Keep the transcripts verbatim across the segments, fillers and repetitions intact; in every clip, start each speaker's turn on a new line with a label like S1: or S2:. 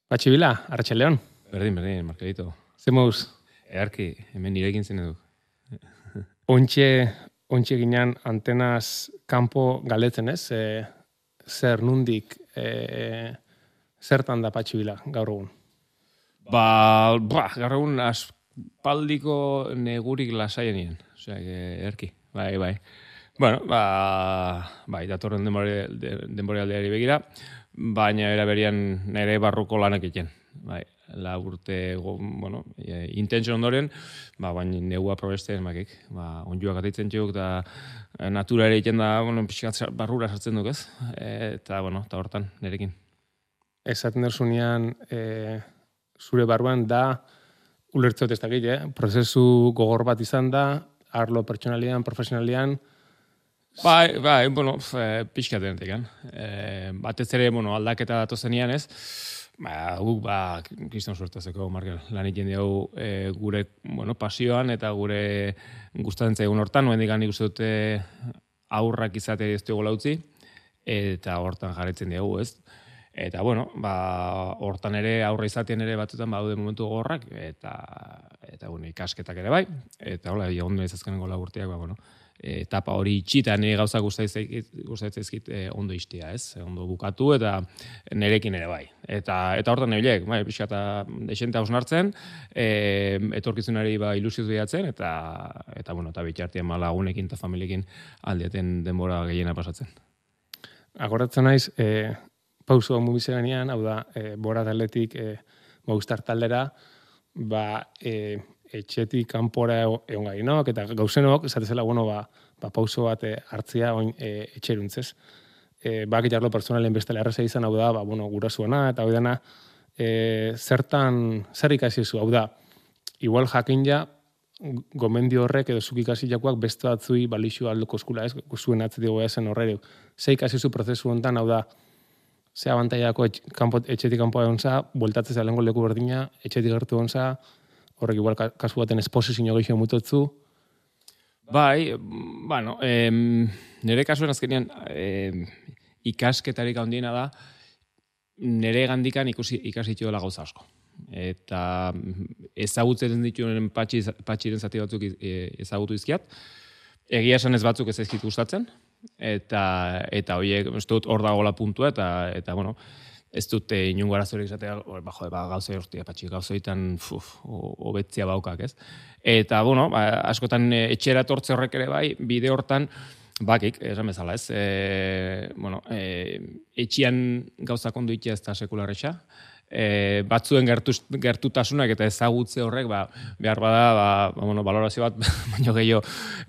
S1: Batxibila, Arratxaldeon.
S2: Berdin, berdin, Markelito.
S1: Ze moduz?
S2: Earki, hemen nirekin zen edu.
S1: Ontxe, ontxe ginean antenaz kanpo galdetzen ez? E, zer nundik, e, zertan da Batxibila gaur egun?
S2: Ba, ba gaur egun aspaldiko negurik lasaienien. Osea, earki, bai, bai. Bueno, ba, bai, datorren denboraldiari begira, baina eraberian nire barruko lanak egiten. Bai, la urte, bueno, e, intentsio ondoren, ba, baina negua probesten makik. Ba, onjuak atitzen txuk, eta natura ere egiten da, bueno, pixkat barrura sartzen duk ez. E, eta, bueno, eta hortan, nirekin.
S1: Esaten derzunean, e, zure barruan da, ulertzot ez dakit, eh? Prozesu gogor bat izan da, arlo pertsonalian, profesionalian.
S2: Bai, bai, bueno, pixkat denetik, eh? Batez ere, bueno, aldaketa datozenean ez, ba, guk, ba, kriston suertazeko, Markel, lan egiten dugu e, gure, bueno, pasioan eta gure gustatzen zaigun hortan, noen digan nik uste dute aurrak izate ez dugu lautzi, eta hortan jarretzen dugu, ez? Eta, bueno, ba, hortan ere, aurra izatean ere batzutan baude momentu gogorrak, eta, eta bueno, ikasketak ere bai, eta hola, ondo izazkenengo lagurtiak, ba, bueno, etapa hori itxita, nire gauza gustaitzaizkit e, ondo iztia, ez? Ondo bukatu eta nirekin ere bai. Eta, eta hortan nebilek, bai, pixka eta desente hausnartzen, e, etorkizunari ba, ilusioz behatzen, eta, eta, bueno, eta bitxartian ma lagunekin eta familiekin aldiaten denbora gehiena pasatzen.
S1: Agoratzen naiz, e, pauso mubizeganean, hau da, e, bora taletik e, Movistar taldera, ba, e, etxetik kanpora egon gainok, eta gauzenok, esatezela, bueno, ba, ba pauso bat e, hartzia oin e, etxeruntzez. E, bak jarlo personalen bestela erraza izan, hau da, ba, bueno, gurasuena, eta hau dena, e, zertan, zer ikasi zu, hau da, igual jakin ja, gomendio horrek edo zuk ikasi jakoak beste batzui balixu alduko eskula, ez, zuen atzetigo ezen horrere. Ze ikasi zu prozesu honetan, hau da, ze abantaiako etx, kanpo, etxetik kanpoa egon za, bueltatzez alengo leku berdina, etxetik gertu egon za, horrek igual kasu baten esposizio gehiago mutotzu.
S2: Bai, bueno, em, nire kasuen azkenean em, ikasketarik handiena da, nire gandikan ikusi, ikasitu dela gauza asko. Eta ezagutzen dituen patxi, patxiren zati batzuk ezagutu izkiat, egia esan ez batzuk ez ezkit gustatzen, eta, eta horiek, ez dut hor dagoela puntua, eta, eta bueno, ez dute inungo arazorik izatea, ba, jode, ba, gauza hortia, patxi, gauzoitan hobetzia baukak, ez? Eta, bueno, ba, askotan etxera tortze horrek ere bai, bide hortan, bakik, esan bezala, ez? E, bueno, e, etxian gauza kondu itea ez da sekularretxa, e, batzuen gertu, gertutasunak eta ezagutze horrek, ba, behar bada, ba, ba, bueno, balorazio bat, baino gehiago,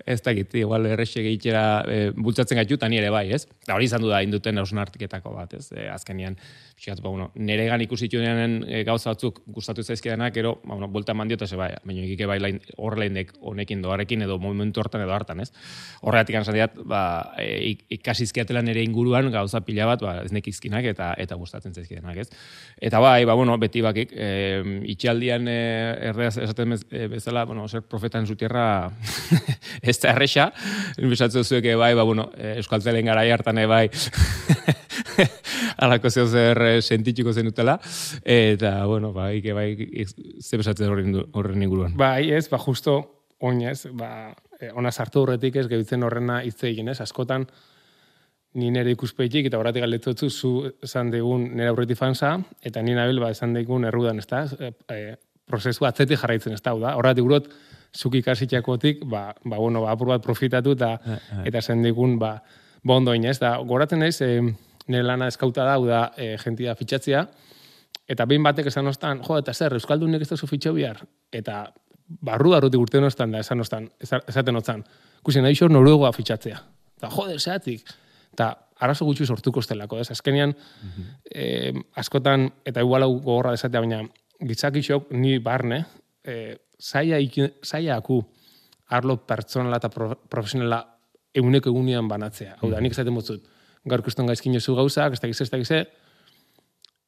S2: ez dakit, igual errexek egitera e, bultzatzen gaitu, eta nire bai, ez? Da hori izan du da, induten hausnartiketako bat, ez? E, azkenean, pixkat, ba, bueno, niregan ikusituenean e, gauza batzuk gustatu zaizkidanak, ero, ba, bueno, buelta mandiota ze bai, baina egike bai horrelainek honekin doarekin edo momentu hortan edo hartan, ez? Horregatik anzan diat, ba, e, ikasizkiatela nire inguruan gauza pila bat, ba, ez nekizkinak eta, eta gustatzen zaizkidanak, ez? Eta bai, ba, bueno, beti bakik, e, itxaldian e, erdeaz esaten bezala, bueno, ser profetan zutierra ez da erresa, besatzen zuek, bai, ba, bueno, euskaltzelen garai hartan, bai, alako zeo zer sentitxuko zenutela, eta, bueno, ba, ike, bai, ze besatzen horren inguruan.
S1: Bai, ez, ba, justo, oinez, ba, ona sartu horretik ez, gehitzen horrena hitz egin, ez, askotan, ni nire ikuspeitik, eta horatik galdetotzu, zu esan degun nire aurretik fansa, eta ni nabil, ba, esan degun errudan, ez da, e, e, prozesu atzetik jarraitzen, ez da, horatik urot, zuk ikasitxakotik, ba, ba, bueno, ba, apur bat profitatu, eta, eta esan degun, ba, ba ondo inez, da, goratzen naiz, e, nire lana eskauta da, da, e, jentia fitxatzea, eta behin batek esan ostan, jo, eta zer, Euskaldunek ez da zu fitxo bihar, eta barru darrutik urte ostan da, esan ostan, esaten otzan, ikusi nahi xor noruegoa fitxatzea, eta joder, zeatik, eta arazo gutxi sortuko estelako, ez? Azkenean, mm-hmm. eh, askotan, eta igual hau gogorra desatea, baina gitzakixok ni barne, eh, zaila, zaila aku arlo pertsonala eta pro, profesionala eguneko egunean banatzea. Hau da, nik esaten motzut, gaur kuston gaizkin jozu gauzak, ez dakize, ez dakize,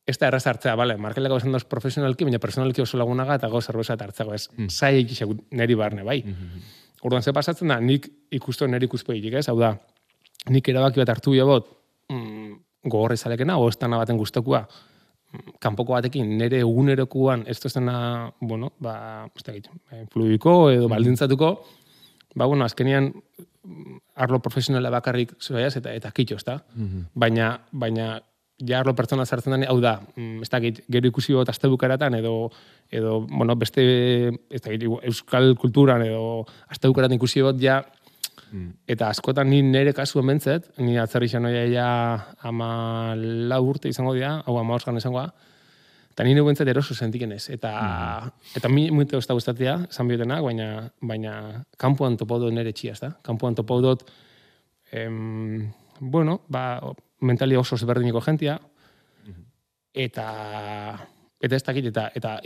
S1: ez da erraz hartzea, bale, markeleko esan doz profesionalki, baina personalki oso lagunaga eta gauz zerbeza hartzeko, ez? Mm. Zaila ikixek neri barne, bai? Mm-hmm. Orduan, ze pasatzen da, nik ikusto neri ikuspegitik, ez? Hau da, nik erabaki bat hartu bot, mm, gogorra izalekena, o estana baten guztokua, kanpoko batekin nire egunerokoan ez dozena, bueno, ba, ez da gitu, fluiko edo baldintzatuko, ba, bueno, azkenean arlo profesionala bakarrik zoiaz eta eta kitxo, ez da? Mm-hmm. Baina, baina, ja arlo pertsona zartzen den, hau da, ez da gitu, gero ikusi bot azte bukaratan edo, edo, bueno, beste, ez da gitu, euskal kulturan edo azte bukaratan ikusi bot, ja, mm. eta askotan ni nire kasuen bentzet, ni atzerri xanoia ja ama lau urte izango dira, hau ama osgan izangoa, eta nire bentzet eroso sentiken ez. Eta, mm. eta mi muito ez da gustatzea, esan biotenak, baina, baina kanpoan topau dut nire txia, ez da? Kanpoan topau dut, em, bueno, ba, mentali oso zeberdiniko jentia, mm. eta, eta ez dakit, eta, eta,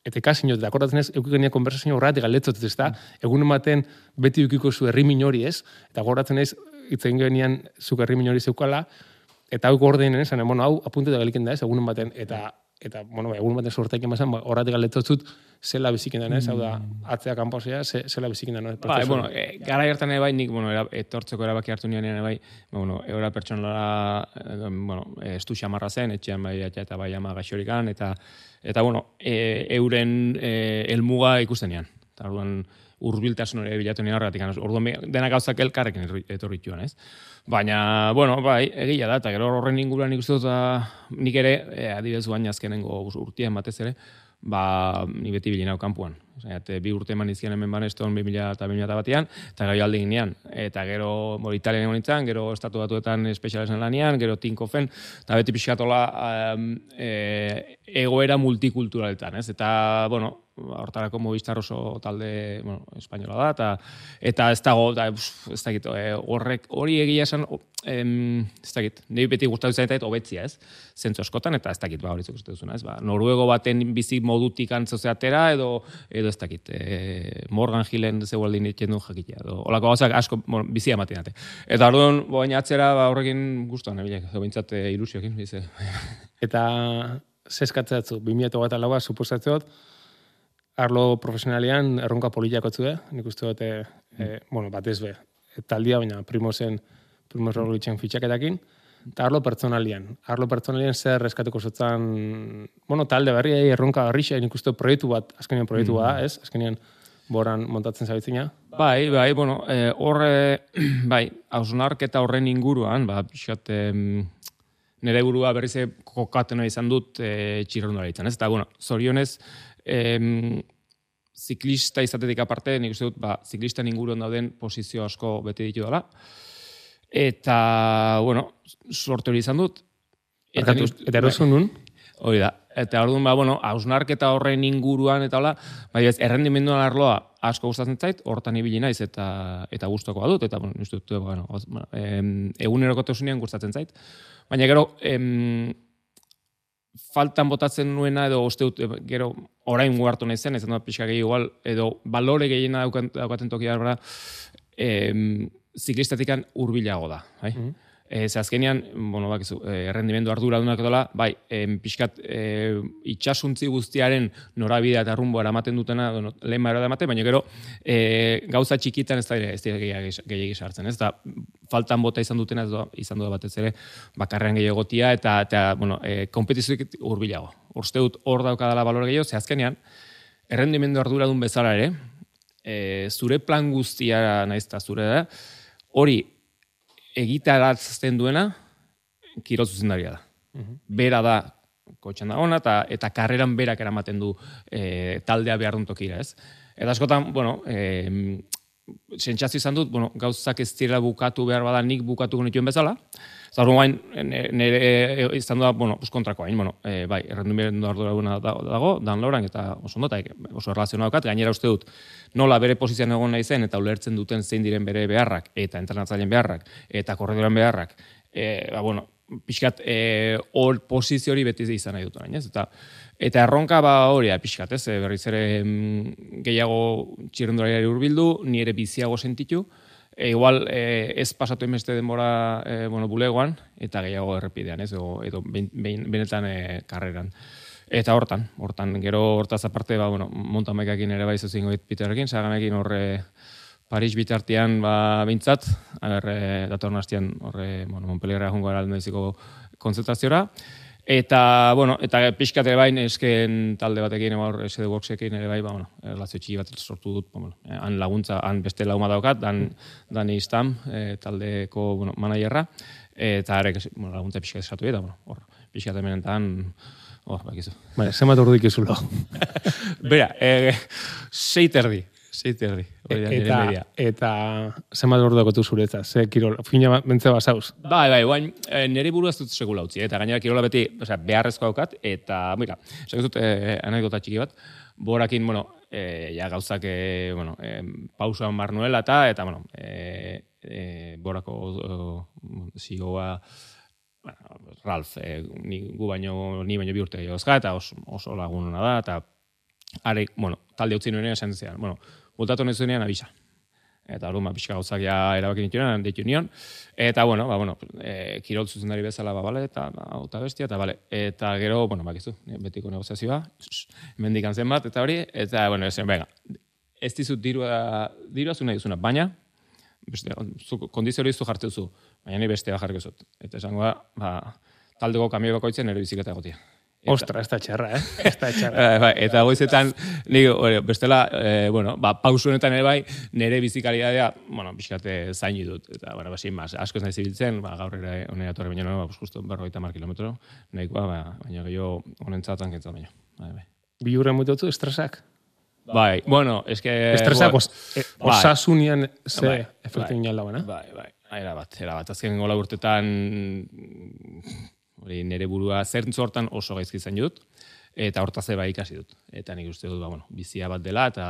S1: eta ikasin jot, eta akordatzen ez, eukik genia konversazio horretik galdetzot, ez da? Mm. Egun ematen beti eukiko zu herri minori ez, eta akordatzen ez, itzen genian zuk herri minori zeukala, eta hau gordeinen esan, bueno, hau apuntetu galiken da ez, egun ematen, eta, eta, bueno, egun baten sorteak emazan, horretik galdetzot zela bizikin denez, hau da, atzea kanposea, zela bizikin denez.
S2: Ba, bueno, e, gara hartan ere bai, nik, bueno, era, etortzeko erabaki hartu nian ere bai, bueno, eura pertsonalara, e, bueno, estu xamarra zen, etxean bai, eta bai ama gaixorikan, eta, eta, bueno, e, euren e, elmuga ikusten nian. Eta, orduan, urbiltasun hori bilatu nien horretik, orduan denak gauzak elkarrekin etorrituan, ez? Baina, bueno, bai, egia da, eta gero horren inguruan ikustu dut, nik ere, e, adibidez guain azkenengo urtean batez ere, ba, ni beti bilinau kanpuan. Osea, bi urte eman izkian hemen baneston bi mila eta bi mila batean, eta gero alde ginean. Eta gero, bo, Italian egon nintzen, gero estatu batuetan espezialezen lanian, gero Tinkofen, eta beti pixkatola um, e, egoera multikulturaletan, ez? Eta, bueno, hortarako Movistar oso talde, bueno, espainola da, eta, eta ez dago, da, ez dakit, horrek, hori egia esan, em, ez dakit, nahi beti gustatu zaitait hobetzia, ez? Zentzu askotan, eta ez dakit, ba, hori zuko duzuna, ez? Ba, noruego baten bizi modutik antzozeatera, edo, edo ez dakit, e, Morgan Hillen zeualdin ditzen du jakitea, edo, olako gauzak asko, bueno, bizia ematen date. Eta orduan, boain atzera, ba, horrekin guztuan, ebilek, bintzat e, ilusiokin, bize.
S1: Eta zeskatzatzu, bi mila eta laua, suposatzeot, arlo profesionalian erronka poliak otzu, eh? Nik uste dut, e, e, bueno, batez be, taldia, baina primozen, primos Roglicen fitxaketakin, eta arlo pertsonalian. Arlo pertsonalian zer eskatuko zotzan, bueno, talde berri, erronka berri, nik uste proiektu bat, azkenean proiektu mm. bat, ez? Azkenean boran montatzen zabitzina.
S2: Bai, bai, bueno, e, horre, bai, hausnarketa horren inguruan, ba, pixat, e, nire burua berriz kokatena izan dut e, txirrondara izan, ez? Eta, bueno, zorionez, Em, ziklista izatetik aparte, nik uste dut, ba, ziklistan inguruan dauden posizio asko bete ditu dela. Eta, bueno, sorte hori izan dut.
S1: Eta, eta erosun nun?
S2: Hori da. Eta orduan, ba, bueno, hausnarketa horren inguruan eta hola, bai ez, errendimenduan arloa asko gustatzen zait, hortan ibili naiz eta eta gustokoa dut, eta, bueno, uste dut, bueno, em, egunerokotasunean gustatzen zait. Baina gero, em, faltan botatzen nuena edo uste dut gero orain guartu nahi zen, ez da pixka gehi igual, edo balore gehiena daukaten tokia da, eh, ziklistatikan hurbilago da. Bai? Mm-hmm. Ez azkenean, bueno, bakizu, errendimendu arduradunak edola, bai, em, pixkat e, itxasuntzi guztiaren norabidea eta rumboa eramaten dutena, no, lehen baira eramaten, baina gero e, gauza txikitan ez da ez dira gehiagi sartzen, ez da, faltan bota izan dutena, ez da, izan dut batez ere, bakarrean gehiagotia, eta, eta bueno, e, kompetizioik hurbilago. Uste dut hor daukadala balore gehiago, ze azkenean, errendimendu arduradun bezala ere, e, zure plan guztia naizta zure da, hori, egitaratzen duena, kirol zuzendaria da. Uh-huh. Bera da, kotxan da ona, eta, eta karreran berak eramaten du e, taldea behar duen tokira, ez? Eta askotan, bueno, e, sentsazio izan dut, bueno, gauzak ez direla bukatu behar bada nik bukatu genituen bezala, eta hori guain, nire izan da, bueno, kontrako hain, bueno, e, bai, errendimendu ardura dago, Dan Lauran, eta oso ondo, eta oso erlazioa daukat, gainera uste dut, nola bere posizioan egon nahi zen, eta ulertzen duten zein diren bere beharrak, eta entrenatzaileen beharrak, eta korredoren beharrak, e, ba, bueno, pixkat, hor e, posizio hori beti izan nahi dut orain, ez? Eta, eta erronka ba hori, pixkat, ez? Berriz ere mm, gehiago txirrendulariari hurbildu, ni ere biziago sentitu, e, igual e, ez pasatu emeste denbora e, bueno, bulegoan, eta gehiago errepidean, ez? Edo, edo ben, ben, benetan e, karreran. Eta hortan, hortan, gero hortaz aparte, ba, bueno, mountain bikeekin ere bai zuzingo Peterrekin, zaganekin horre Paris bitartean ba bintzat, ager datorren astean horre, bueno, Montpellierra joango gara aldeziko konzentraziora, Eta, bueno, eta pixkat ere bai, esken talde batekin, eba, S D Worksekin ere bai, ba, bueno, relazio txiki bat sortu dut, bueno, han laguntza, han beste lauma daukat, dan, Dani Istam, e, taldeko, bueno, managerra, eta arek, bueno, laguntza pixkat esatu eta, bueno, hor, pixkat hemenetan, hor, bakizu.
S1: Bale, zenbat ordu ikuzulo.
S2: Bera, e, sei terdi. Sei terdi.
S1: Eta, eta zenbat ordu dakotu zuretzat, ze kirol, fina bentze basauz.
S2: Bai, bai, guain, nire buru ez dut segula utzi, eta gainera kirola beti, osea, beharrezko daukat, eta, mira, esan dut, eh, anekdota txiki bat, borakin, bueno, eh, ja gauzak, eh, bueno, eh, pausoan bar nuela, eta, eta, bueno, eh, eh, borako eh, zigoa, bueno, Ralf, eh, ni, gu baino, ni baino bi urte gehiagozka, eta oso, oso lagunona da, eta, are, bueno, talde utzi nuenean esan zian, bueno, bultatu nahi zuenean abisa. Eta hori, ma, pixka gauzak ja erabakin dituenean, deitu nion. Eta, bueno, ba, bueno, e, kirol zuzendari bezala, ba, bale, eta auta bestia, eta, bale. Eta gero, bueno, bakizu, betiko negoziazioa, hemendik zen bat, eta hori, eta, bueno, esan, venga, ez dizut dirua, dirua zu nahi duzuna, baina, beste, zu, kondizio hori zu jartzen zu, baina ni bestea jarriko zut. Eta esango da, ba, taldeko kamioi bakoitzen ere biziketa egotia.
S1: Eta, ostra, ez da txarra, eh? Ez da txarra.
S2: Bai, eta goizetan, nik, bestela, eh, bueno, ba, pausu honetan ere bai, nire bizikalidadea, bueno, pixkate zaini dut. Eta, bueno, basin, mas, asko ez nahi zibiltzen, ba, gaur ere honera torre baino, ba, justo berrogeita mar kilometro, nahikoa, ba, baina gehiago honentzatan kentzat baino. Bai, bai.
S1: Bi hurren mutotzu, estresak?
S2: Bai, bueno, eske...
S1: Estresak os, eh, osasunian ze
S2: bai,
S1: efektu inal dagoena?
S2: Bai, bai, era bat, era bat. Azken gola urtetan... Hori nire burua zertzu hortan oso gaizki zain dut, eta hortaz eba ikasi dut. Eta nik uste dut, ba, bueno, bizia bat dela, eta,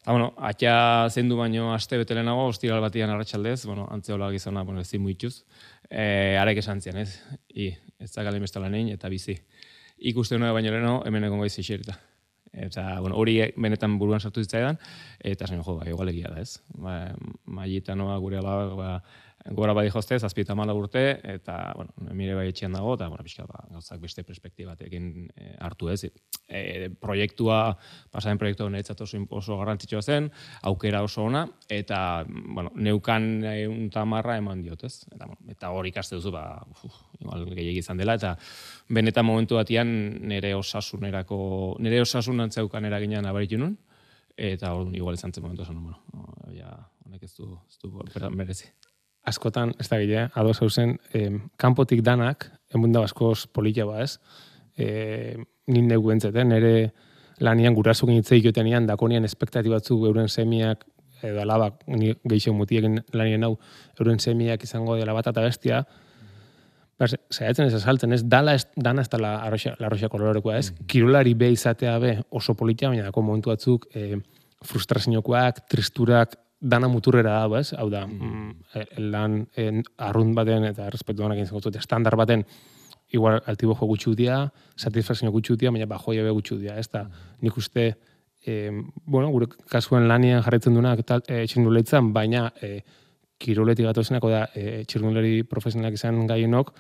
S2: eta bueno, atia zendu baino aste betelenago, ostiral batian arratsaldez, bueno, antzeola gizona, bueno, ezin muituz, e, arek esan zian, ez? I, ez da galen bestala nein, eta bizi. Ikuste nuen baino leheno, hemen egon gaiz ixerita. Eta, bueno, hori benetan buruan sartu zitzaidan, eta zen, jo, ba, igual egia da, ez? Ba, Maietanoa gure alabak, ba, gora badi joztez, azpieta mala urte, eta, bueno, mire bai etxean dago, eta, bueno, pixka, ba, gauzak beste perspektibatekin e, hartu ez. E, proiektua, pasaren proiektua niretzat oso, oso garrantzitsua zen, aukera oso ona, eta, bueno, neukan un tamarra eman diot, ez? Eta, bueno, eta hori ikaste duzu, ba, uf, igual gehiagi izan dela, eta benetan momentu batian nire osasunerako, nire osasun antzeukan eraginan abaritu nun, eta hori igual izan zen momentu esan, bueno, ja, honek ez du, ez du merezi.
S1: Askotan, ez da gile, ados hauzen, eh, kanpotik danak, emunda askoz polita ba, ez? Eh, nin negu entzeten, nire lanian gurasuk initzei jotenean, dakonian espektatibatzu euren semiak, edo alabak, ni geixo mutiekin lanien hau, euren semiak izango dela bat eta bestia, zaiatzen ez azaltzen, ez, dala ez, dana ez da la arroxa, la arroxa kolorekoa, ez? Mm. Kirolari be izatea be oso polita, baina dako momentu batzuk eh, frustraziokoak, tristurak, dana muturrera dago, ez? Hau da, mm. lan en, arrunt baten eta respetu danak egin zen estandar baten igual altibojo gutxu dia, satisfazio gutxu dia, baina bajoia be gutxu dia, ez da, nik uste, eh, bueno, gure kasuen lanian jarretzen duenak e, txirnuleitzan, baina e, kiroletik gatozenako da, e, txirnuleri profesionalak izan gaienok,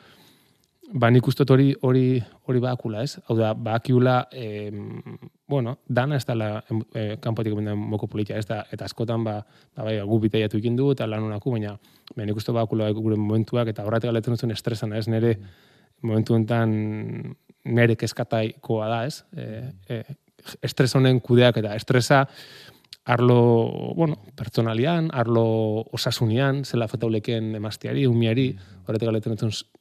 S1: ba nik uste hori hori hori bakula, ez? Hau da, bakiula, eh, bueno, dana ez dela eh, kanpotik benden moko politia, ez da, eta askotan, ba, ba bai, gu bitaiatu ikin du, eta lan honako, baina, baina nik uste bakula gure momentuak, eta horretik galetzen duzun estresana, ez? Nere, momentu enten, nere keskataikoa da, ez? E, e, estres honen kudeak, eta estresa, arlo, bueno, pertsonalian, arlo osasunian, zela fetauleken emazteari, umiari, horretik galetzen duzun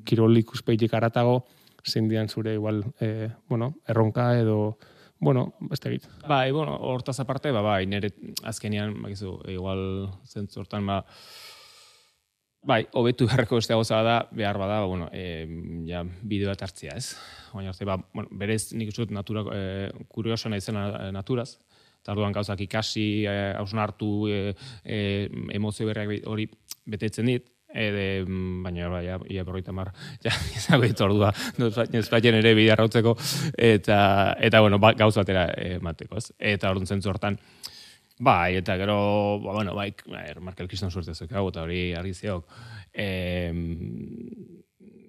S1: kirol ikuspeitik aratago, zein dian zure igual, eh, bueno, erronka edo, bueno, beste egit.
S2: Bai, bueno, hortaz aparte, ba, bai, nire azkenian, bakizu, igual zentzu hortan, ba, bai, hobetu beharreko beste gauza da, behar bada, ba, bueno, e, ja, bideoa hartzia, ez? Baina, ba, bueno, berez nik uste dut natura, e, kurioso nahi zen naturaz, eta orduan gauzak ikasi, hausnartu, e, e, emozio berriak hori betetzen dit, Ede, baina, ba, ja, ia berroita mar, ja, izango ditu ordua, nespatien ere bidea rautzeko, eta, eta bueno, ba, gauz batera emateko, ez? Eta orduan zentzu hortan, bai, eta gero, ba, bueno, bai, Markel Kriston suerte zuek hau, eta hori argi zeok, e,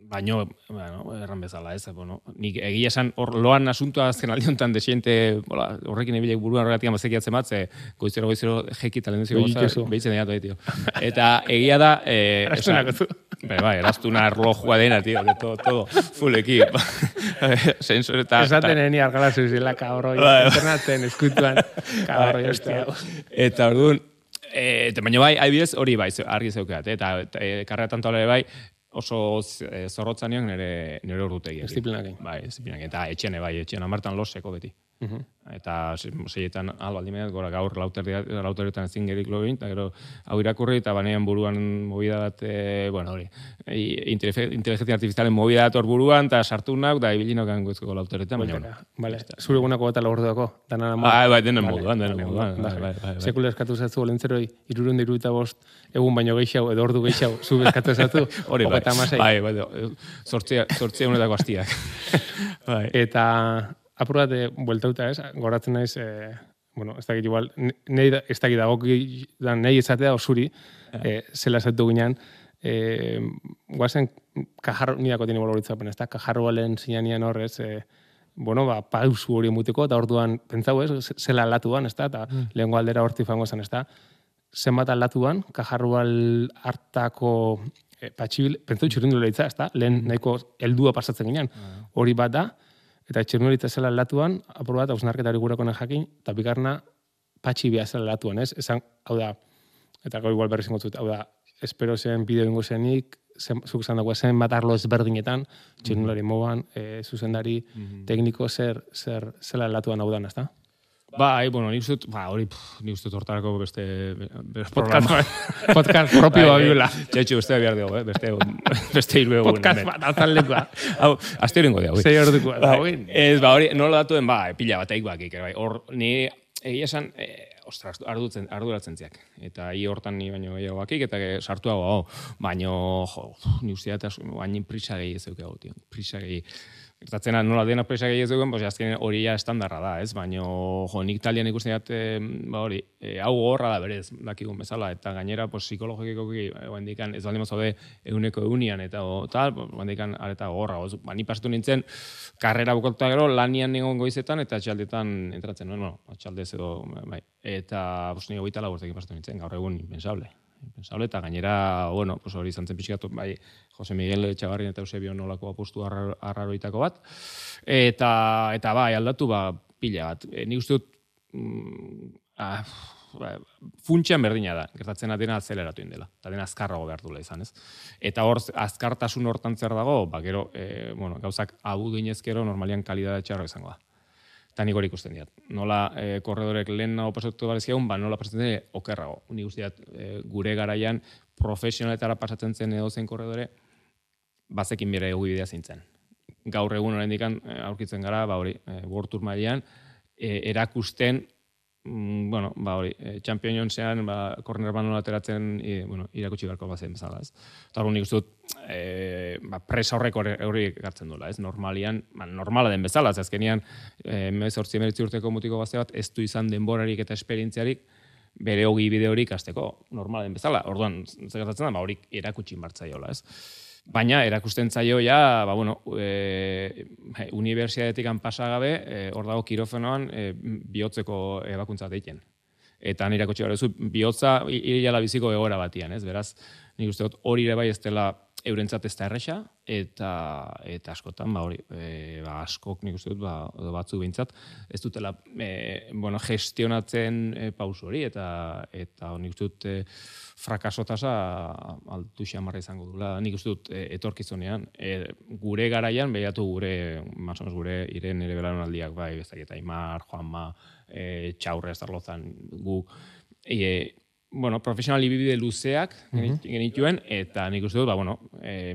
S2: Baino, bueno, erran bezala, ez, bueno, nik egia esan hor loan asuntua azken aldi honetan desiente, bola, horrekin ebilek buruan horregatik amazekiatzen bat, ze goizero goizero jeki talendezio goza, behitzen dira toi, tio. Eta egia da, eh,
S1: Eraztunako zu.
S2: Bai, bai, eraztuna erlojua dena, tio, de todo, todo, fulleki, sensor eta...
S1: Esaten eni argala zuzela, kabroi, internatzen, eskutuan, kabroi, hostia.
S2: Eta orduan, eta baina bai, adibidez hori bai, argi zeukeat, eta karrera tanto bai, oso zorrotza nion nire, nire ordutegia.
S1: Disiplinakin.
S2: Bai, disiplinakin. Eta etxene, bai, etxene, amartan loseko beti. Uh-huh. Eta seietan albaldi mehat, gora gaur lauterretan ezin gerik login, eta gero hau irakurri, eta banean buruan movida bat, e, bueno, hori, inteligentzia artifizialen movida bat hor buruan, eta sartu nauk, da ibilino gangoizko lauterretan, baina, bueno.
S1: Vale, zure egunako bat alorduako, danan amor.
S2: Bai, bai, denen moduan, denen moduan.
S1: Sekula eskatu zatu olentzeroi, irurun diru eta bost, egun baino gehiago, edo ordu gehiago, zu eskatu zatu,
S2: hori, bai, bai, bai, sortzea honetako hastiak.
S1: Eta... Apur bat, bueltauta ez, goratzen naiz, e, bueno, ez dakit igual, nahi, ez dakit dagoki, nahi izatea osuri, e, zela zatu ginean, e, guazen, kajarro, nidako tiene boloritzapen, ez da, kajarro balen zinanian horrez, e, bueno, ba, pausu hori emuteko, eta orduan, pentsau ez, zela aldatuan, ez da, eta mm. lehenko aldera horti fango zen, ez da, zenbat aldatuan, kajarro bal hartako e, patxibil, pentsau txurindu lehitza, ez da, lehen nahiko heldua pasatzen ginean, hori bat da, eta txirnuritza zela aldatuan, apur bat, hausnarketari gurakonen jakin, eta bigarna patxi bia zela aldatuan, ez? Esan, hau da, eta gau igual berri zingotzut, hau da, espero zen bideo ingo zenik, zen, zuk esan dagoa zen bat arlo ezberdinetan, txirnulari moban, e, zuzendari, mm-hmm. tekniko zer, zer zela aldatuan hau dan, ez da?
S2: Bai, bueno, ni ustut, ba, hori, ni ustut hortarako beste, beste
S1: podcast, podcast propio babiola.
S2: Txetxu, beste behar dugu, eh? beste, beste hiru egun.
S1: Podcast bat, altan lekua.
S2: Hau, azte horingo dugu.
S1: Zei hor dukua.
S2: Ez, ba, hori, nola datuen, ba, pila bat eik bakik, bai, hor, ni, egia esan, e, ostras, ardutzen, arduratzen ziak. Eta hi hortan ni baino gehiago bakik, eta sartuago, oh, baino, jo, ni ustea eta baino prisa gehi ez dugu, tio, prisa gehi. Gertatzena nola dena presa gehi ez dugun, pues azken hori ja estandarra da, ez? Baina, jo, nik talian ikusten dut, ba hori, e, hau gorra da berez, dakigun bezala, eta gainera, pues, psikologikoki, guendikan, ez baldin mazaude eguneko egunian, eta o, tal, guendikan, areta gorra, oz, ba, ni pasatu nintzen, karrera bukotuta gero, lanian nigon goizetan, eta txaldetan entratzen, no, no, txaldez edo, bai, eta, pues, nigo goita laburtekin pasatu nintzen, gaur egun, impensable. Impensable, eta gainera, bueno, pues hori izan zen pixkatu, bai, Jose Miguel Etxabarrin eta Eusebio nolako apostu arraroitako bat, eta, eta bai, aldatu, ba, pila bat. E, nik uste dut, mm, ah, ba, funtxean berdina da, gertatzen dena azeleratu indela, eta dena azkarrago behar duela izan, ez? Eta hor, azkartasun hortan zer dago, ba, gero, e, bueno, gauzak abu duinezkero normalian kalidade txarro izango da. Eta nik hori ikusten diat. Nola e, korredorek lehen nago pasatu barezkiagun, ba nola pasatzen dira okerrago. Nik uste diat, e, gure garaian profesionaletara pasatzen zen edo zen korredore, bazekin bere egu bidea zintzen. Gaur egun oraindik aurkitzen gara, ba hori, e, World Tour mailan, e, erakusten, mm, bueno, ba hori, e, Championsean, ba, corner ban nola ateratzen, e, bueno, irakutsi beharko bazen bezala, ez. Eta hori nik uste dut, e, ba, presa horrek hori gartzen duela, ez? Normalian, ba, normala den bezala, ez azkenian, e, mezortzi emeritzi urteko mutiko gazte bat, ez du izan denborarik eta esperientziarik, bere hogi bide hori ikasteko, normala den bezala. Orduan, zer gertatzen da, ba, hori erakutsi martzaiola, ez? Baina, erakusten zaio ja, ba, bueno, e, unibertsitatetik pasagabe, e, hor dago kirofenoan, e, bihotzeko ebakuntza deiken. Eta nire kotxe garezu, bihotza hilala biziko egoera batian, ez? Beraz, nik uste dut hori ere bai ez dela eurentzat ez da erresa, eta, eta askotan, ba hori, e, ba, askok nik uste dut, ba, batzu behintzat, ez dutela, e, bueno, gestionatzen e, pausu hori, eta, eta nik uste dut, e, frakasotasa altu xamarra izango dula, nik uste dut e, etorkizunean, e, gure garaian, behiatu gure, masonez gure, iren ere belaunaldiak, bai, bezak eta Imar, Juanma, e, Txaurre, Estarlozan, gu, e, bueno, profesional ibibide luzeak mm-hmm. genituen, eta nik uste dut, ba, bueno, e,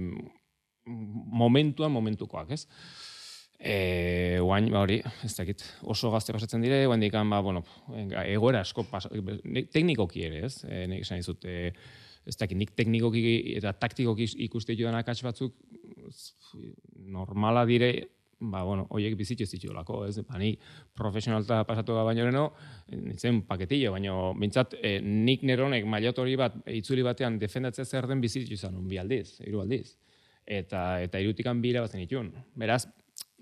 S2: momentuan, momentukoak, ez? E, oain, ba hori, ez dakit, oso gazte pasatzen dire, oain dikan, ba, bueno, egoera asko, pas, teknikoki ere, ez? E, nik esan dizut, e, ez dakit, nik teknikoki eta taktikoki ikuste jodan akats batzuk, normala dire, ba, bueno, oiek bizitxo ez ditxolako, ez? Ba, ni profesionalta pasatu da baino reno, nintzen paketillo, baina bintzat, e, nik neronek mailatori bat, itzuli batean defendatzea zer den bizitxo izan, un bi aldiz, hiru aldiz. eta eta irutikan bira bazen itun. Beraz,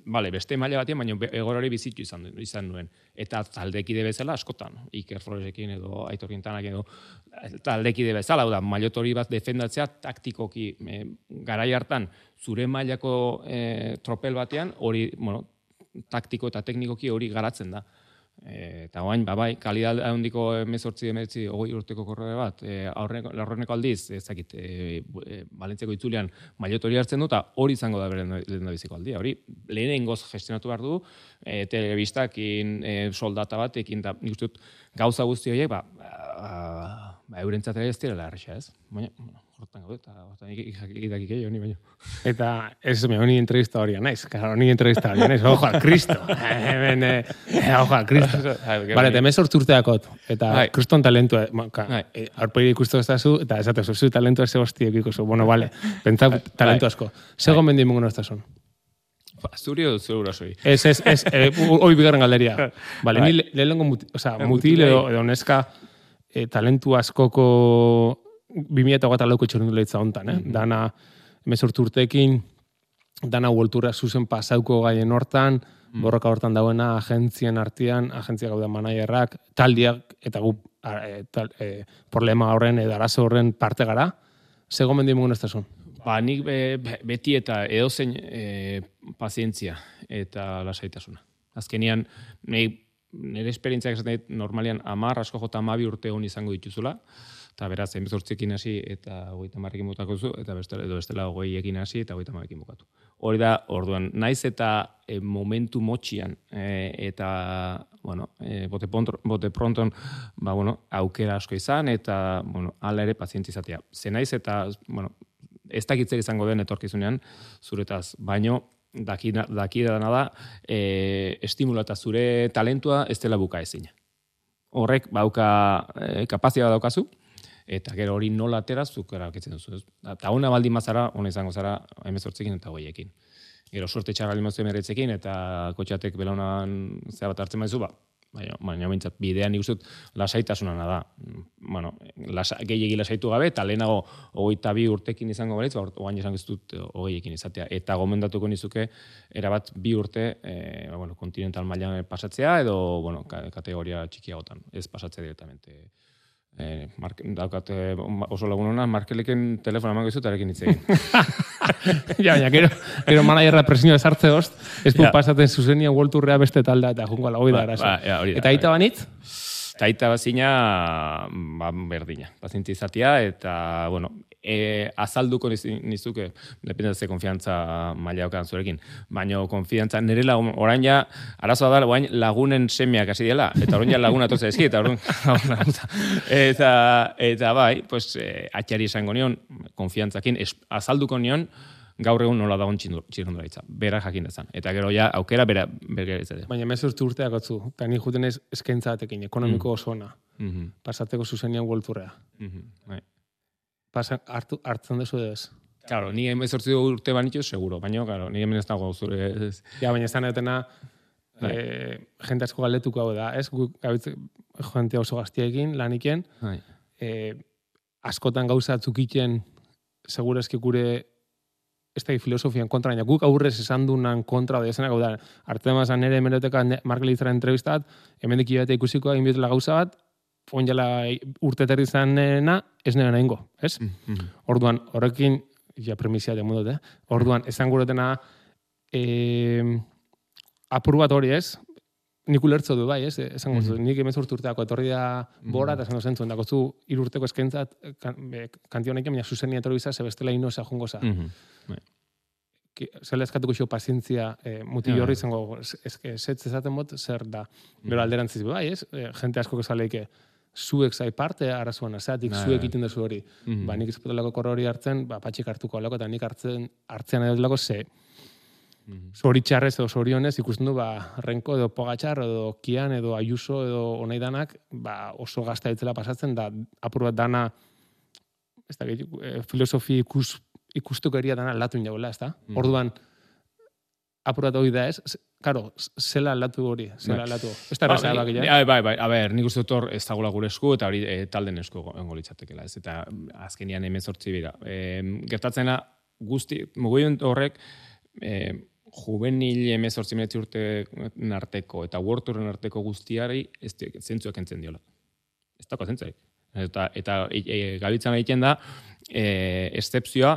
S2: Bale, beste maila batean, baina egor hori bizitu izan, izan duen. Eta taldekide bezala askotan, Iker Floresekin edo Aitor Quintanak edo taldekide bezala, da, mailotori bat defendatzea taktikoki e, garai hartan zure mailako e, tropel batean hori, bueno, taktiko eta teknikoki hori garatzen da. E, eta oain, ba, bai, kalidad handiko emezortzi, emeretzi, hogei urteko korrore bat, e, aurreneko aldiz, ezakit, e, e, Valentziako itzulean mailotori hartzen du, eta hori izango da beren lehen da biziko aldia. Hori, lehenengoz gestionatu behar du, e, telebistakin, e, soldata batekin, da, nik uste dut, gauza guzti horiek, ba, ba, ba eurentzat ere ez direla erresa, ez? Baina, bueno, hortan gaude, eta hortan ikidakik egin, honi baino.
S1: Eta ez me honi entrevista hori naiz, claro, honi entrevista hori naiz, ojo a Cristo, hemen, eh, ojo a Cristo. Vale, te mezor urteakot, eta kriston talentua, aurpegi ikustu ez dazu, eta esatezu, zu talentua ze hostiek ikustu, bueno, vale, pentsa talentu asko. Sego mendi mungo nostazun.
S2: Zuri edo zure urasoi?
S1: Ez, ez, ez, hoi bigarren galderia. Vale, ni lehenengo mutil edo neska talentu askoko bi mila hogeita lauko txorrendularitza hontan, eh? Dana hemezortzi urteekin, dana uolturra zuzen pasauko gaien hortan, borroka hortan dauena agentzien artean, agentzia gauda managerrak, taldiak, eta gu e, tal, e, problema horren edo arazo horren parte gara, ze gomendio mugun ez da zuen?
S2: Ba, nik be, beti eta edozein e, pazientzia eta lasaitasuna. Azkenian, nire esperientziak esaten dit, normalian amar, asko jota amabi urte hon izango dituzula, eta beraz, hemezortziekin hasi eta hogeita hamarrekin bukatu zu, eta bestela, edo bestela hogeiekin hasi eta hogeita hamarekin bukatu. Hori da, orduan, naiz eta e, momentu motxian e, eta, bueno, e, bote, pontro, bote pronton, ba, bueno, aukera asko izan, eta, bueno, ala ere pazientzi izatea. Ze naiz eta, bueno, ez dakitzer izango den etorkizunean, zuretaz, baino, daki, daki dana da, e, estimula eta zure talentua ez dela buka ezina. Horrek, bauka, e, kapazia daukazu, eta gero hori nola atera zuk erabakitzen duzu. Eta ona baldin bazara, ona izango zara hemezortzekin eta hogeiekin. Gero sorte txarra limazio emeretzekin eta kotxatek belaunan zea bat hartzen maizu, ba, baina, baina bintzat bidean ikusut lasaitasunana da. Bueno, lasa, gehiegi lasaitu gabe, eta lehenago hogeita bi urtekin izango baritz, ba, ogain izango ez dut hogeiekin izatea. Eta gomendatuko nizuke, erabat bi urte e, ba, bueno, kontinental mailan pasatzea, edo bueno, kategoria txikiagotan, ez pasatzea directamente. Eh, mark, daukate oso lagunona, Markeleken telefona emango izut, arekin hitz egin.
S1: Ja, baina, gero, gero managerra presioa esartze host, ez du ja. Pasaten zuzenia uolturrea beste taldea, eta jungo ala, hoi da, ba, ba, ja, eta aita banitz?
S2: Eta aita bazina, ba, berdina, pazientzi izatea, eta, bueno, e, azalduko nizuke, dependatzen konfiantza maila okan zurekin, baina konfiantza, nire lagun, orain ja, arazoa da, orain lagunen semiak hasi diela, eta orain ja laguna toze eski, eta orain, eta, eta bai, pues, e, atxari esango nion, konfiantzakin, es, azalduko nion, gaur egun nola dagoen txirrendularitza, bera jakin dezan. Eta gero ja, aukera bera bera izatea.
S1: Baina hemezortzi urteak atzu, eta ni juten ez eskaintza batekin, ekonomiko mm. oso ona, mm-hmm. pasateko zuzenian uolturrea.
S2: Mm-hmm.
S1: Pasa, hartu, hartzen dezu ez?
S2: Claro, ni hemezortzi urte banituz, seguro, baina, claro, ni hemen ez dago zure... Ez...
S1: Ja, baina ez da netena, eh, jente asko galdetuko hau da, ez? Guk, gabitze, jente oso gaztiekin, laniken, eh, askotan gauza atzukiten, segurazki gure ez da filosofian kontra, baina guk aurrez esan dunan kontra da esanak, hau da, arte mazan nire emeroteka Mark Leitzara entrevistat, hemen diki bat ikusiko egin bitela gauza bat, onjala urte terri zanena, ez nire nahingo, ez? Mm-hmm. Orduan, horrekin, ja premisia de mundot, eh? Orduan, esan gurotena, eh, apur bat hori, ez? Nik ulertzo du bai, ez? Esan gurtu, mm-hmm. nik emezortzi urteako etorri da bora, eta esan dozen zuen, dako zu irurteko eskentzat, kantionekin, baina zuzenia etorri bizar, zebestela inoza jungoza. Mm-hmm. Zela eskatuko xo pazientzia eh, muti horri izango setz ezaten bot, zer da. Bero alderantziz bai, ez? E, jente asko kezaleike, zuek zai parte arazoan azatik, zuek iten duzu hori. Mm-hmm. Ba, nik izpetelako korro hori hartzen, ba, patxik hartuko alako, eta nik hartzen, hartzean edo lako ze. Mm-hmm. Zori txarrez edo zori honez, ikusten du, ba, Renko edo Pogatxar, edo Kian, edo Ayuso, edo onai danak, ba, oso gazta ditzela pasatzen, da, apur bat dana, ez da, filosofi ikus ikustuko eria dana aldatu inauela, ez da? Mm. Orduan, apurat hori da ez, karo, zela aldatu hori, zela aldatu. Ez da erraza ba, bakia.
S2: Bai, bai, a ber, nik uste dut ez dagoela gure esku, eta hori e, talden esku ongo litzatekela, ez? Eta azkenian hemezortzi bira. E, gertatzena, guzti, mugimendu horrek, e, juvenil emezortzi meretzi urte arteko eta World Touren arteko guztiari ez zentzuak entzen diola. Ez dago zentzuak. Eta, eta e, e, gabitzan egiten da, e, excepzioa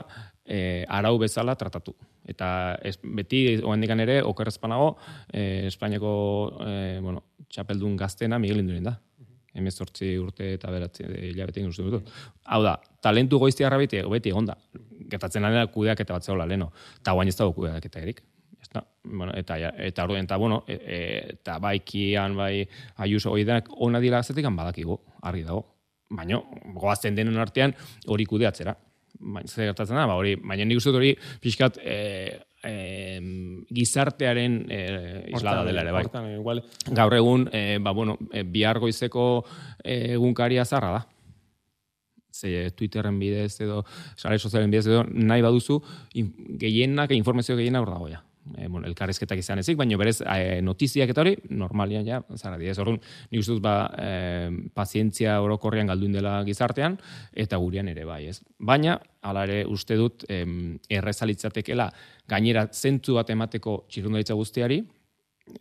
S2: e, arau bezala tratatu. Eta ez, beti, oendikan ere, okerrezpanago, e, Espainiako e, bueno, txapeldun gaztena Miguel Indurain da. Hemezortzi urte eta beratzi hilabete egin uste dut. Hau da, talentu goiztiarra beti, beti egonda. Gertatzen da kudeak eta bat zegoela leno. Eta guain ez dago kudeak eta erik. Bueno, eta eta orduen eta bueno, e, e, eta baikian bai Ayuso hori denak ona dira azetikan badakigu, argi dago. Baina goazten denen artean hori kudeatzera. Baina zer gertatzen da, ba hori, baina nik uste dut hori pixkat e, e, gizartearen e, islada dela ere bai.
S1: Hortan, igual.
S2: Gaur egun, e, ba bueno, e, bihar goizeko egunkaria zarra da. Ze Twitterren bidez edo sare sozialen bidez edo nahi baduzu gehienak, informazio gehienak hor dago ja. E, bueno, elkarrizketak izan ezik, baina berez e, notiziak eta hori normalian ja, zara dira. Orduan, nik uste dut ba, e, pazientzia orokorrean galduin dela gizartean, eta gurean ere bai, ez. Baina, hala ere uste dut, e, errezalitzatekela gainera zentzu bat emateko txirrundaritza guztiari,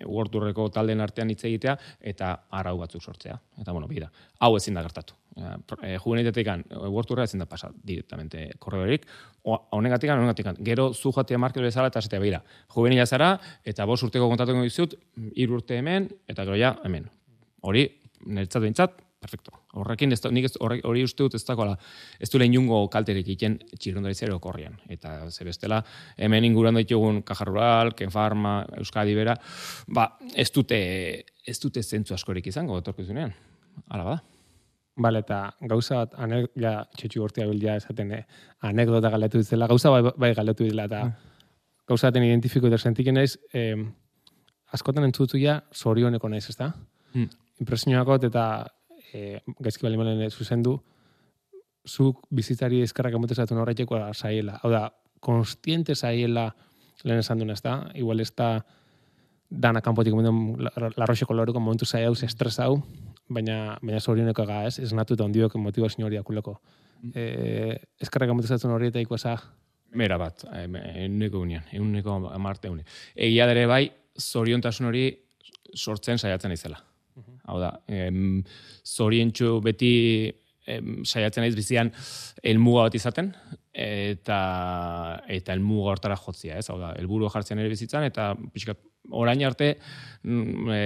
S2: World Tourreko taldeen artean hitz egitea, eta arau batzuk sortzea. Eta, bueno, bida, hau ezin da gertatu. E, Juvenilitatekan, World Tourra ezin da pasa directamente korredorik, honegatikan, honegatikan. Gero zu jatea markelo bezala eta esatea behira. Juvenila zara, eta bost urteko kontatuko dizut, hiru urte hemen, eta gero ja, hemen. Hori, niretzat behintzat, perfecto. Horrekin, ez, nik ez, horre, hori uste dut ez dagoela, ez du lehen jungo kalterik iken txirrondaritzero korrian. Eta ze bestela, hemen inguruan ditugun Caja Rural, Kenfarma, Euskadi bera, ba, ez dute, ez dute zentzu askorik izango, etorkizunean. Hala bada.
S1: Bale, eta gauza bat, anek, ja, txetxu gortia bildia esaten, eh, anekdota galdetu dizela, gauza bai, bai galdetu dizela, eta mm. gauza baten identifiko eta sentiken naiz, eh, askotan entzutu ja, zorioneko naiz, ez da? Mm. Impresionakot eta eh, gaizki bali malen zuzendu, zuk bizitzari eskarrak emotezatu norraiteko zaiela. Hau da, konstiente zaiela lehen esan duen, ez da? Igual ez da dana kanpotik momentu larroxeko lauruko momentu zai hau, estres hau, baina baina zorioneko ga, ez? Ez natu eta ondiok motivazio hori akuleko. Mm. Eh, eskarrak emotezatu norraiteko eza?
S2: Mera bat, euneko unian, euneko amarte unian. Egia dere bai, zoriontasun hori sortzen saiatzen izela. Hau da, em, zorientxu beti em, saiatzen naiz bizian helmuga bat izaten, eta eta helmuga hortara jotzia, ez? Hau da, helburu jartzen ere bizitzan, eta pixkat orain arte e,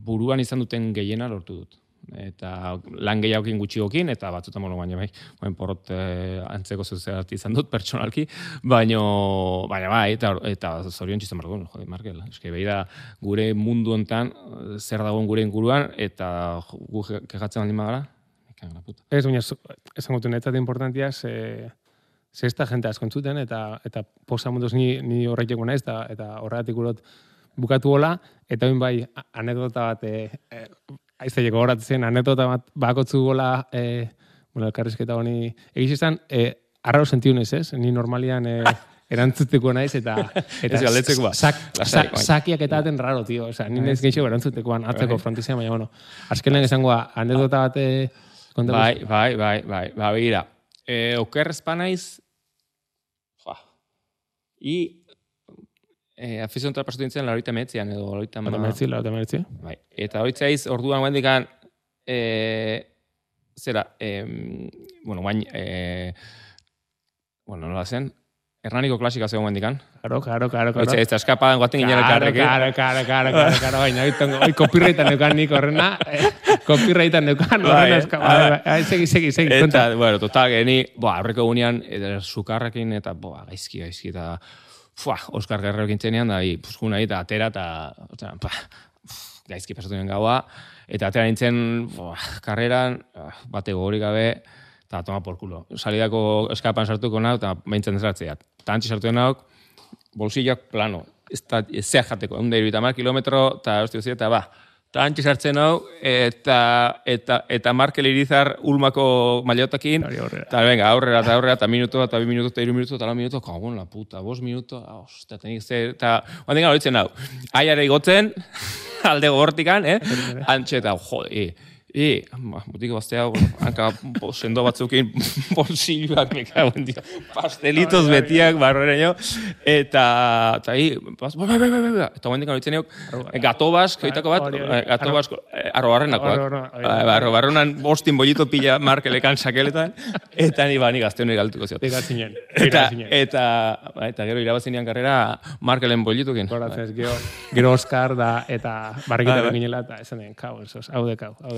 S2: buruan izan duten gehiena lortu dut. Eta lan gehiagokin gutxiokin, eta batzutan mono baina bai, baina porrot eh, antzeko zeuzerati izan dut pertsonalki, baina baina bai, eta, eta zorion txizan barko, jode, Markel, eske behi da gure mundu hontan zer dagoen gure inguruan, eta gu kejatzen baldin bagara, ikagana puta.
S1: Ez, baina, esan gotu netzat importantia, ze, ze ez da jente asko entzuten, eta, eta posa munduz ni, ni horretiko naiz, eta, eta horregatik urot bukatu hola, eta bain bai, anekdota bat, e, aizteieko horatzen, anekdota bat bakotzu gola, e, bueno, elkarrizketa honi, egiz izan, e, arraro sentiunez, ez? Ni normalian e, erantzuteko naiz, eta, eta sak, sak, sakiak eta aten raro, tio. Osa, ni nez geixo erantzutekoan atzeko frontizia, baina, bueno, azkenen esangoa, anekdota bat kontatu.
S2: Bai, bai, bai, bai, bai, begira. E, oker espanaiz, joa, i, Eh, afiziontara pasatu dintzen laurita metzian edo laurita
S1: ma... metzi, laurita metzi.
S2: Bai. Eta horitzaiz, orduan guendikan, eh, zera, eh, bueno, guain, eh, bueno, nola zen, Hernaniko klasika zegoen guendikan.
S1: Claro, claro, claro.
S2: Horitza, ez da eskapadan guaten ginen elkarrek.
S1: Claro, claro, claro, claro, claro, baina, hoi copyrightan neukan nik horrena, eh, copyrightan neukan horrena eskapadan. Segi, segi, segi,
S2: konta. Eta, bueno, total, geni, boa, aurreko gunean, sukarrekin, eta, boa, gaizki, gaizki, eta, Fua, Oskar Guerrerokin txenean, da, juna eta atera, eta pa, gaizki pasatu nien gaua, eta atera nintzen fua, karreran, bate gogorik gabe, eta toma por culo. Salidako eskapan sartuko nauk, eta behintzen desratzeat. Eta antzi sartu nauk, bolsillak plano, ez da, ez zea jateko, egun da irubitamar kilometro, eta hostia, eta ba, eta antzi sartzen hau, eta, eta, eta Markel Irizar ulmako maillotakin, eta venga, aurrera, eta aurrera, eta minuto, eta bi minuto, eta iru minuto, eta lau minuto, kagon la puta, bos minuto, ostia, tenik ze, eta, guantik horitzen hau, aiare igotzen, alde gogortikan, eh? Antxe, eta, jode, E, butiko baztea, hanka sendo batzukin bolsilloak mekauen dio, pastelitos betiak barroreño, eta, eta hi, eta guendik horitzen euk, gato bask, oitako bat, gato bask, arro barrenakoak. Arro barrenan bostin bollito pila markelekan sakeletan, eta ni ba, ni gazte honek galtuko ziot.
S1: Dikatzinen.
S2: Eta, eta, eta gero irabazinean karrera markelen bollitukin.
S1: Horatzez, gero Oscar da, eta barrikita beginela, eta esan den, kau, hau dekau, hau dekau.